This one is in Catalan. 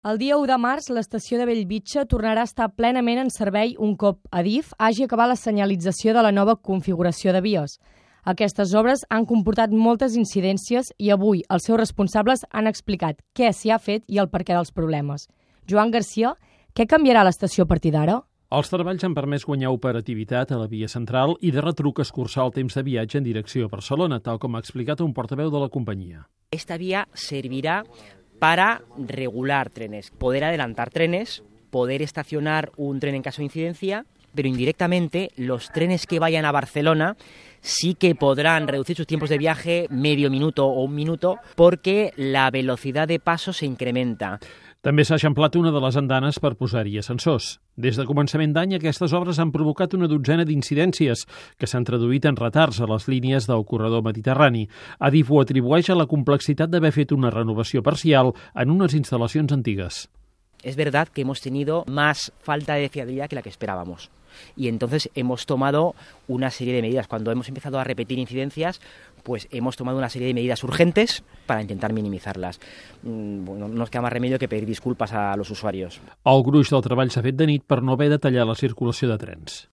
El dia 1 de març, l'estació de Bellvitge tornarà a estar plenament en servei un cop Adif hagi acabat la senyalització de la nova configuració de vies. Aquestes obres han comportat moltes incidències i avui els seus responsables han explicat què s'hi ha fet i el perquè dels problemes. Joan Garcia, què canviarà l'estació a partir d'ara? Els treballs han permès guanyar operativitat a la via central i de retruc escurçar el temps de viatge en direcció a Barcelona, tal com ha explicat un portaveu de la companyia. Esta vía servirá para regular trenes, poder adelantar trenes, poder estacionar un tren en caso de incidencia, pero indirectamente los trenes que vayan a Barcelona sí que podrán reducir sus tiempos de viaje medio minuto o un minuto porque la velocidad de paso se incrementa. També s'ha eixamplat una de les andanes per posar-hi ascensors. Des de començament d'any, aquestes obres han provocat una dotzena d'incidències que s'han traduït en retards a les línies del corredor mediterrani. Adif ho atribueix a la complexitat d'haver fet una renovació parcial en unes instal·lacions antigues. Es verdad que hemos tenido más falta de fiabilidad que la que esperábamos. Y entonces hemos tomado una serie de medidas. Cuando hemos empezado a repetir incidencias, pues hemos tomado una serie de medidas urgentes para intentar minimizarlas. Bueno, no nos queda más remedio que pedir disculpas a los usuarios. El gruix del treball s'ha fet de nit per no haver de tallar la circulació de trens.